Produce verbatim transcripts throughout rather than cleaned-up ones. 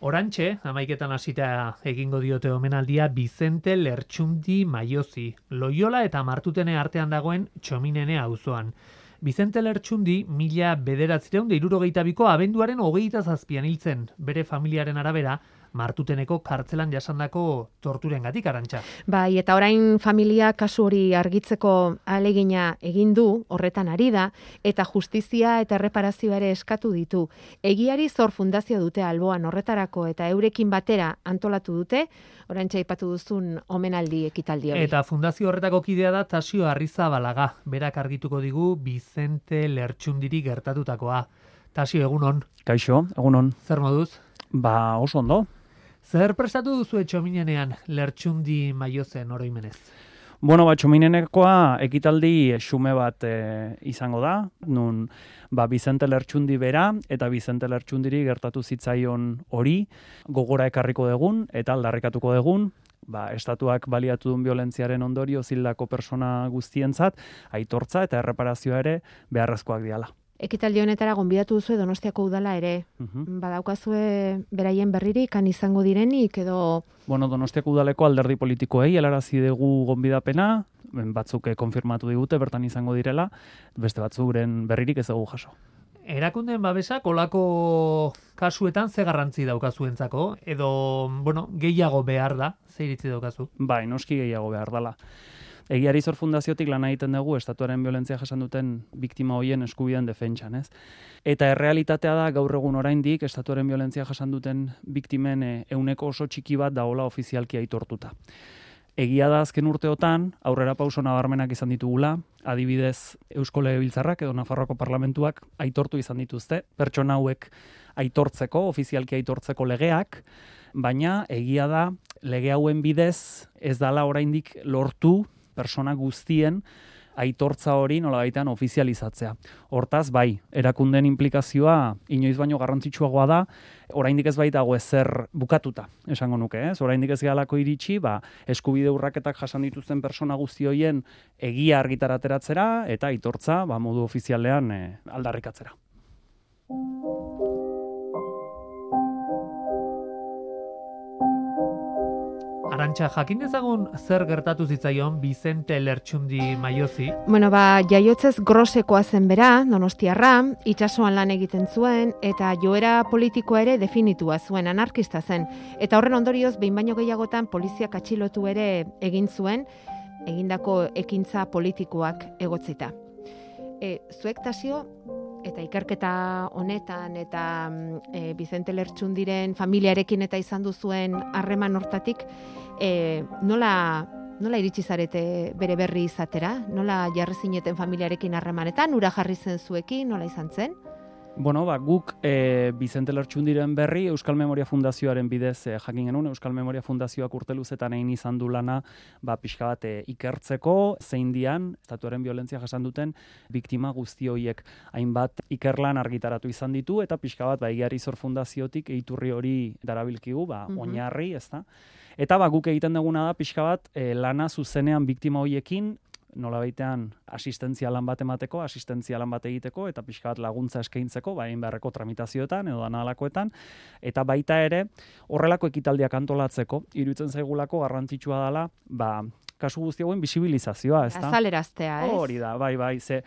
Orantxe, amaiketan hasita egingo diote omenaldia Bizente Lertxundi Maiozi, Loiola eta Martutene artean dagoen Txominene auzoan. Bizente Lertxundi mila bederatziehun eta hirurogeita biko abenduaren hogeita zazpian hiltzen, bere familiaren arabera, Martuteneko kartzelan jasandako torturengatik, Arantxa. Bai, eta orain familia kasu hori argitzeko ahalegina egin du, horretan ari da, eta justizia eta erreparazioa ere eskatu ditu. Egiari Zor Fundazio dute alboan horretarako eta eurekin batera antolatu dute, oraintxe aipatu duzun omenaldi ekitaldi hori. Eta fundazio horretako kidea da Tasio Arrizabalaga, berak argituko digu Bizente Lertxundiri gertatutakoa. Tasio, egunon. Kaixo, egunon. Zer moduz? Ba, oso ondo. Zer prestatu duzu Txominenean Lertxundi Maiozen oroimenez? Bueno, ba, Txominenekoa ekitaldi xume bat e, izango da, nun ba, Bizente Lertxundi bera eta Bizente Lertxundiri gertatu zitzaion hori gogora ekarriko degun eta aldarrikatuko degun, ba, estatuak baliatu duen violentziaren ondorio zildako persona guztientzat, aitortza eta erreparazioa ere beharrezkoak diala. Ekitaldi honetara gonbidatu duzu Donostiako udala ere. Uh-huh. Badaukazue beraien berririk kan izango direnik edo... Bueno, Donostiako udaleko alderdi politikoei helarazi dugu gonbidapena, batzuk konfirmatu digute bertan izango direla, beste batzuren berririk ez dugu jaso. Erakundeen babesa kolako kasuetan ze garrantzi daukazuentzako edo, bueno, gehiago behar da, ze iritzi daukazu? Bai, noski gehiago behar dela. Egiari Zor Fundaziotik lan egiten dugu estatuaren violentzia jasan duten biktima hoien eskubideen defentsan, ez? Eta errealitatea da gaur egun oraindik estatuaren violentzia jasan duten biktimen ehuneko oso txiki bat dagoela ofizialki aitortuta. Egia da azken urteotan aurrera pauso nabarmenak izan ditugula, adibidez Eusko Legebiltzarrak edo Nafarroako Parlamentuak aitortu izan dituzte, pertsona hauek aitortzeko, ofizialki aitortzeko legeak, baina egia da lege hauen bidez ez dala oraindik lortu persona guztien aitortza hori nolabaitean ofizializatzea. Hortaz, bai, erakundeen implikazioa inoiz baino garrantzitsuagoa da, oraindik ez baitago ezer bukatuta, esango nuke, ez? Oraindik ez gehalako iritsi, ba, eskubide urraketak jasan dituzten persona guzti hoien egia argitarateratzera eta aitortza ba, modu ofizialean eh, aldarrikatzera. Arantxa, jakin dezagun zer gertatu zitzaion Bizente Lertxundi Maiozi? Bueno, ba, jaiotzez grosekoa zen bera, donostiarra, itsasoan lan egiten zuen, eta joera politikoa ere definitua zuen, anarkista zen. Eta horren ondorioz, behin baino gehiagotan poliziak atxilotu ere egin zuen, egindako ekintza politikoak egotzita. E, zuek Tasio, eta ikerketa honetan, eta e, Bizente Lertxundiren familiarekin eta izan duzuen harreman hortatik, e, nola, nola iritsi zarete bere berri izatera? Nola jarri zineten familiarekin harremanetan? Ura jarri zen zuekin? Nola izan zen? Bueno, ba, guk e, Bizente Lertxundiren berri Euskal Memoria Fundazioaren bidez e, jakin genuen, Euskal Memoria Fundazioak urte luzetan egin izan du lana ba, pixka bat e, ikertzeko, zein dian, estatuaren violentzia jasan duten biktima guzti horiek hainbat ikerlan argitaratu izan ditu, eta pixka bat ba, Egiari Zor Fundaziotik eiturri hori darabilkigu, ba, mm-hmm. oinarri, ez da. Eta ba, guk egiten duguna da pixka bat e, lana zuzenean biktima horiekin, nolabaitean asistentzia lan bat emateko, asistentzia lan bat egiteko, eta pixka bat laguntza eskaintzeko, ba, egin beharreko tramitazioetan edo danalakoetan, eta baita ere horrelako ekitaldiak antolatzeko, iruditzen zaigulako garrantzitsua dela, ba, kasu guzti hauen bisibilizazioa, ez da? Azaleraztea, ez? Hori da, bai, bai, ze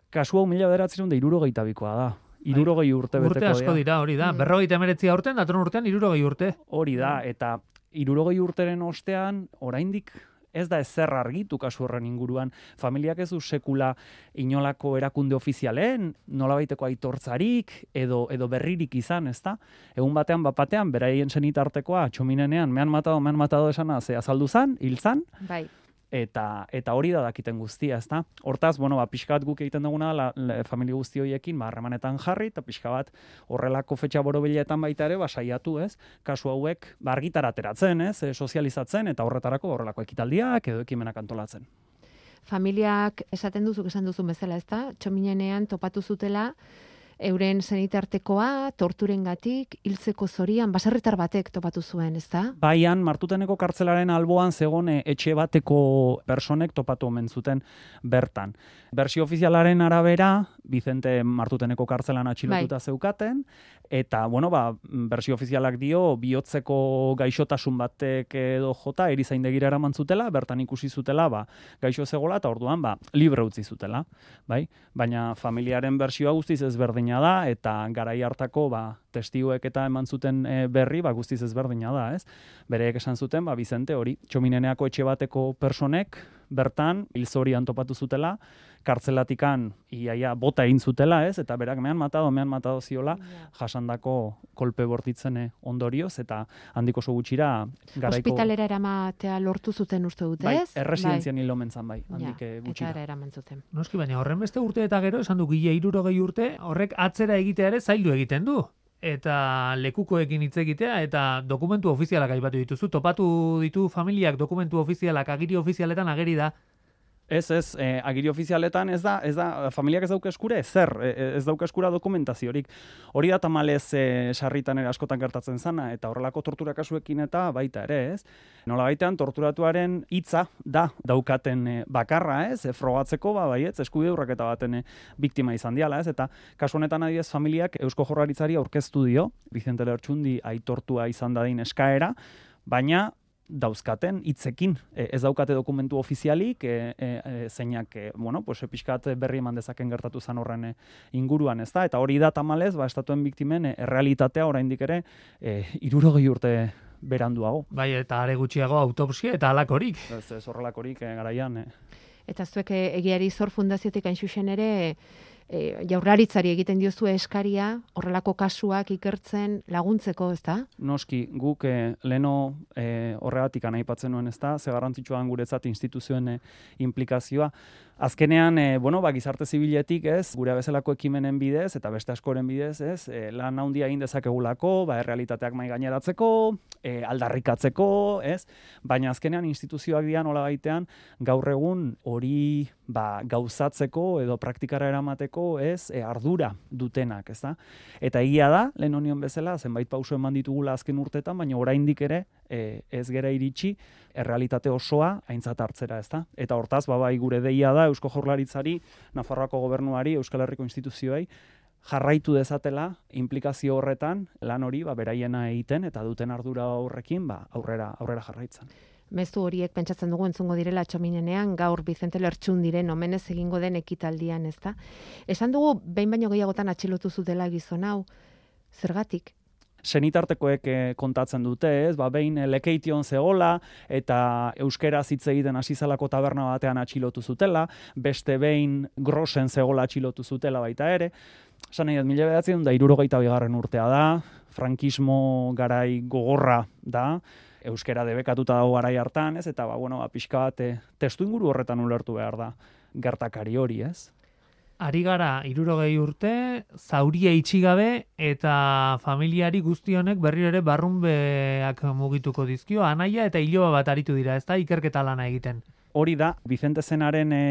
kasu hau mila bederatziehun eta hirurogeita bikoa da. Hirurogei urte beteko dira. Urte asko dira, hori da. Berrogeita hemeretzi aurten, datorren urtean hirurogei urte. Hori da, eta hirurogei urteren ostean, oraindik ez da ezer argitu kasu horren inguruan. Familiak ez du sekula inolako erakunde ofizialen, nolabaiteko aitortzarik edo edo berririk izan, ezta? Egun batean bapatean beraien senitartekoa Txominenean mehan matado, mehan matado esana ze azaldu zan, hil zan. Bai. Eta eta hori da dakiten guztia, ezta? Hortaz, bueno, ba pixka bat guk egiten duguna la, la, familia guzti horiekin ba harremanetan jarri eta pixka bat horrelako fetxa borobiletan baita ere ba saiatu, ez? Kasu hauek ba argitara ateratzen, ez? E, sozializatzen eta horretarako horrelako ekitaldiak edo ekimenak antolatzen. Familiak esaten duzuk esan duzun bezala, ezta? Txominenean topatu zutela euren senitartekoa, torturengatik, hiltzeko zorian, baserritar batek topatu zuen, ezta? Baian, Martuteneko kartzelaren alboan zegoen etxe bateko personek topatu omen zuten bertan. Bersio ofizialaren arabera, Vicente Martuteneko kartzelan atxilotuta bai. Zeukaten, eta, bueno, ba, bersio ofizialak dio, bihotzeko gaixotasun batek edo jota, erizaindegira eraman zutela, bertan ikusi zutela, ba, gaixo zegoela, eta orduan, ba, libre utzi zutela, bai? Baina familiaren bersioa guztiz ezberdina da, eta garai hartako, ba, testiguek eta eman zuten e, berri, ba, guztiz ezberdina da, ez? Bereek esan zuten, ba, Vicente hori, Txomineneako etxe bateko personek, bertan, hilzorian topatu zutela, kartzelatikan iaia bota egin zutela, ez? Eta berak mehan matado, mehan matado ziola, yeah. jasandako kolpe bortitzen ondorioz, eta handiko oso gutxira garaiko... Hospitalera eramatea lortu zuten uste dut, ez? Bai, erresidenzian hil omen zan, bai, handik ja, gutxira. Eta eraman zuten. Noski, baina horren beste urte eta gero, esan du gile hirurogei urte, horrek atzera egitea ere zaildu egiten du. Eta lekukoekin hitz egitea, eta dokumentu ofizialak aipatu dituzu. Topatu ditu familiak dokumentu ofizialak, agiri ofizialetan ageri da. Ez, ez, eh, agiri ofizialetan ez da, ez da, familiak ez dauka eskure, zer, ez dauka eskura dokumentaziorik. Hori da tamalez eh, sarritan ere askotan gertatzen zana, eta horrelako tortura kasuekin eta baita ere, ez? Nola baitean, torturatuaren hitza da daukaten eh, bakarra, ez? E, frogatzeko, ba, baietz, eskubide urraketa baten eh, biktima izan diala, ez? Eta kasu honetan adibidez familiak Eusko Jaurlaritzari aurkeztu dio, Vicente Lertxundi aitortua izan dadin eskaera, baina dauzkaten hitzekin, e, ez daukate dokumentu ofizialik, e, e, e, zeinak, e, bueno, pues, pixkat berri eman dezaken gertatu zan horren e, inguruan, ez da? Eta hori da tamalez, ba, estatuen biktimen e, errealitatea oraindik ere e, hirurogei urte beranduago. Bai, eta are gutxiago autopsia eta halakorik. Ez, ez horrelakorik e, garaian. E. Eta zuek egiari zor fundaziotik hain zuzen ere, E, jaurlaritzari egiten diozu eskaria, horrelako kasuak ikertzen laguntzeko, ez da? Noski, guk e, leno e, horregatik anaipatzen nuen, ez da? Ze garrantzitsua guretzat instituzioen e, implikazioa. Azkenean, e, bueno, ba, gizarte zibiletik, ez, gure bezalako ekimenen bidez, eta beste askoren bidez, ez, e, lan handia egin dezakegulako, ba, errealitateak mai gaineratzeko, e, aldarrikatzeko, ez, baina azkenean instituzioak dian hola baitean, gaur egun hori ba, gauzatzeko edo praktikara eramateko, ez, e, ardura dutenak, ez da? Eta egia da, lehen honion bezala, zenbait pauso eman ditugula azken urtetan, baina oraindik ere, e, ez gera iritsi, errealitate osoa aintzat hartzera, ez da? Eta hortaz, ba, bai, gure deia da, Eusko Jaurlaritzari, Nafarroako gobernuari, Euskal Herriko instituzioei, jarraitu dezatela implikazio horretan lan hori ba, beraiena egiten eta duten ardura horrekin ba, aurrera, aurrera jarraitzen. Mezu horiek pentsatzen dugu entzungo direla Txominenean gaur Vicente Lertxundiren omenez egingo den ekitaldian, ezta? Esan dugu behin baino gehiagotan atxilotu zutela gizon hau, zergatik? Senitartekoek kontatzen dute, ez? Ba, behin Lekeition zegola eta euskeraz hitz egiten hasi zelako taberna batean atxilotu zutela, beste behin Grosen zegola atxilotu zutela baita ere. Esan nahi, mila bederatziehun eta hirurogeita bigarren urtea da, frankismo garai gogorra da, euskera debekatuta dago garai hartan, ez? Eta ba, bueno, ba, pixka bat testu inguru horretan ulertu behar da gertakari hori, ez? Ari gara hirurogei urte, zauria itxigabe eta familiari guzti honek berriro ere barrunbeak mugituko dizkio, anaia eta iloba bat aritu dira, ez da, ikerketa lana egiten. Hori da, Vicente Zenaren e,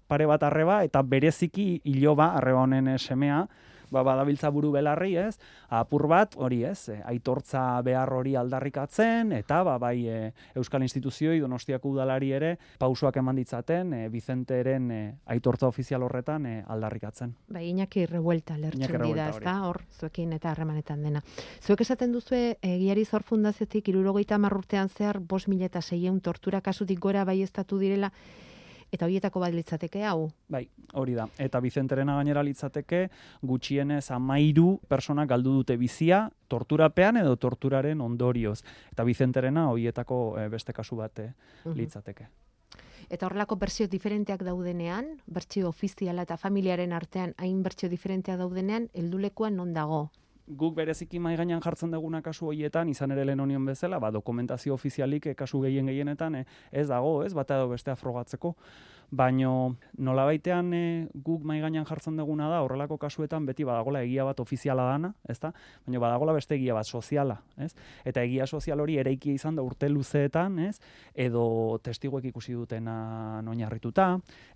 pare bat arreba eta bereziki iloba, arreba honen e, semea, ba, badabiltza buru belarri, ez? Apur bat, hori ez, e, aitortza behar hori aldarrikatzen, eta ba, bai e, Euskal Instituzioi, Donostiako udalari ere, pausoak eman ditzaten, e, Vicenteren e, aitortza ofizial horretan e, aldarrikatzen. Bai, Iñaki Revuelta lertxun da, ez da, hor, zuekin eta harremanetan dena. Zuek esaten duzue, egiari zor fundaziotik hirurogeita hamar urtean zehar, bost mila eta seiehun tortura kasutik gora bai estatu direla, eta horietako bat litzateke hau? Bai, hori da. Eta Vicenterena gainera litzateke gutxienez hamairu persona galdu dute bizia torturapean edo torturaren ondorioz. Eta Vicenterena horietako beste kasu bat litzateke. Eta horrelako bertsio diferenteak daudenean, bertsio ofiziala eta familiaren artean hain bertsio diferenteak daudenean, heldulekuan non dago? Guk bereziki mai gainean jartzen duguna kasu horietan, izan ere lehen honion bezala, ba, dokumentazio ofizialik kasu gehien gehienetan ez dago, ez, bata edo bestea frogatzeko. Baino nolabaitean e, guk mai gainean jartzen duguna da, horrelako kasuetan beti badagola egia bat ofiziala dana, ezta? Baina badagola beste egia bat soziala, ez? Eta egia sozial hori eraikia izan da urte luzeetan, ez? Edo testiguek ikusi dutena oinarrituta,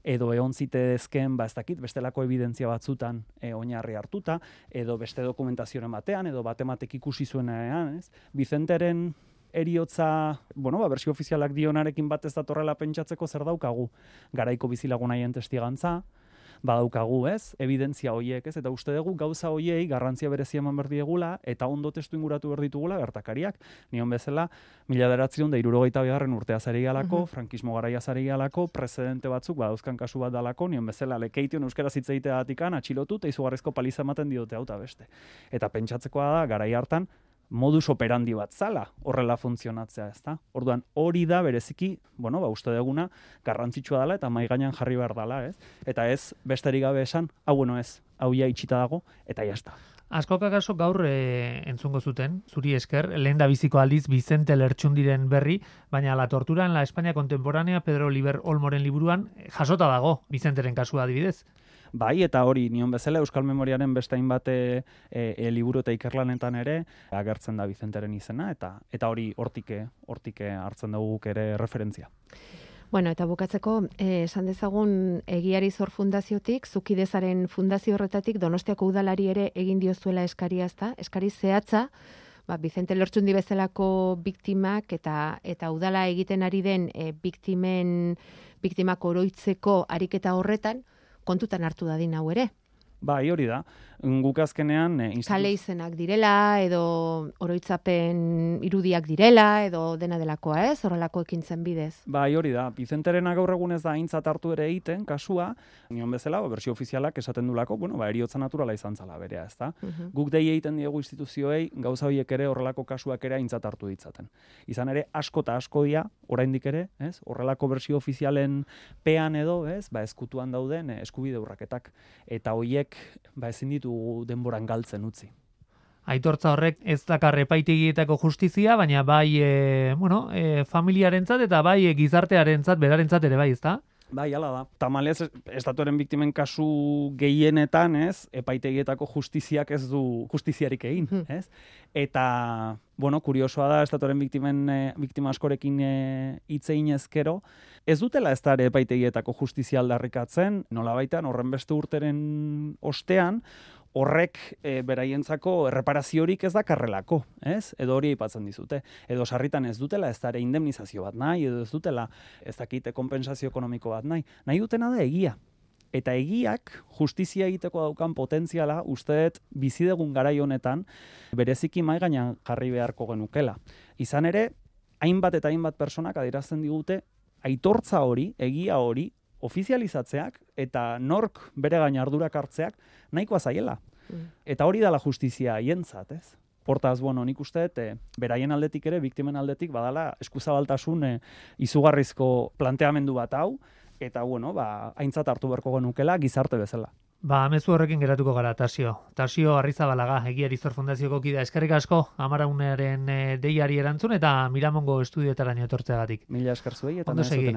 edo egon zitezken, ba ez dakit, bestelako evidentzia batzutan e, oinarri hartuta, edo beste dokumentazioren batean, edo batematek ikusi zuenean, ez? Vicenteren eriotza, bueno, ba, bersio ofizialak dionarekin bat ez datorrela pentsatzeko zer daukagu. Garaiko bizilagunaien testigantza, badaukagu, ez? Evidentzia hoiek, ez? Eta uste dugu gauza hoiei garrantzia berezia eman behar diegula eta ondo testu inguratu behar ditugula gertakariak. Nion bezala, mila bederatziehun eta hirurogeita bigarren urtea zari galako, uh -huh. frankismo garaia zari galako, precedente batzuk badauzkan kasu bat dalako, nion bezala lekeition euskaraz hitz egiteagatik atxilotu eta izugarrizko paliza ematen diote hau ta beste. Eta pentsatzekoa da garai hartan modus operandi bat zala horrela funtzionatzea, ezta? Orduan hori da bereziki, bueno, ba uste duguna garrantzitsua dela eta mai gainean jarri behar dela, ez? Eta ez besterik gabe esan, hau bueno ez, hau ja itxita dago eta ja sta. Askok akaso gaur e, entzungo zuten, zuri esker, lehen da biziko aldiz Vicente Lertxundiren berri, baina La tortura en la España contemporánea Pedro Oliver Olmoren liburuan jasota dago Vicenteren kasua adibidez. Bai, eta hori, nion bezala Euskal Memoriaren beste hainbat e, e, liburu eta ikerlanetan ere agertzen da Vicenteren izena, eta eta hori hortike, hortike hartzen dugu guk ere referentzia. Bueno, eta bukatzeko, eh, esan dezagun Egiari Zor Fundaziotik, Zukidezaren fundazio horretatik Donostiako udalari ere egin diozuela eskaria, ezta? Eskari zehatza, ba, Vicente Lertxundi bezalako biktimak eta eta udala egiten ari den e, biktimen biktimak oroitzeko ariketa horretan kontutan hartu dadin hau ere. Bai, hori da. Guk azkenean e, institu... kale izenak direla, edo oroitzapen irudiak direla, edo dena delakoa, ez? Horrelako ekintzen bidez. Bai, hori da. Vicenterena gaur egun ez da aintzat hartu ere egiten, kasua, nion bezala, ba, bersio ofizialak esaten dulako, bueno, ba, eriotza naturala izan zala berea, ezta? Uh -huh. Guk dei egiten diegu instituzioei, gauza horiek ere horrelako kasuak ere aintzat hartu ditzaten. Izan ere, asko eta asko dia, oraindik ere, ez? Horrelako bersio ofizialen pean edo, ez? Ba, eskutuan dauden eskubide urraketak. Eta hoiek, ba, ezin ditu denboran galtzen utzi. Aitortza horrek ez dakar epaitegietako justizia, baina bai e, bueno, e, familiarentzat eta bai e, gizartearentzat, berarentzat ere bai, ezta? Bai, hala da. Tamalez, estatuaren biktimen kasu gehienetan, ez, epaitegietako justiziak ez du justiziarik egin, ez? Eta, bueno, kuriosoa da, estatuaren biktimen, e, biktima askorekin hitz egin ezkero, ez dutela ez da ere epaitegietako justizia aldarrikatzen, nolabaitan, horren beste urteren ostean, horrek e, beraientzako erreparaziorik ez dakarrelako, ez? Edo hori aipatzen dizute. Edo sarritan ez dutela ez da ere indemnizazio bat nahi, edo ez dutela ez dakite konpentsazio ekonomiko bat nahi. Nahi dutena da egia. Eta egiak justizia egiteko daukan potentziala usteet bizidegun garai honetan bereziki mai gainean jarri beharko genukela. Izan ere, hainbat eta hainbat personak adierazten digute aitortza hori, egia hori, ofizializatzeak eta nork bere gain ardurak hartzeak nahikoa zaiela. Mm. Eta hori dela justizia haientzat, ez? Hortaz, bueno, nik uste dut, beraien aldetik ere, biktimen aldetik, badala eskuzabaltasun e, izugarrizko planteamendu bat hau, eta, bueno, ba, aintzat hartu beharko genukela gizarte bezala. Ba, mezu horrekin geratuko gara, Tasio. Tasio Arrizabalaga, Egiari Zor Fundazioko kidea. Eskerrik asko, Amaraunaren e, deiari erantzun, eta Miramongo estudioetara etortzeagatik. Mila esker zuei, eta ondo segi.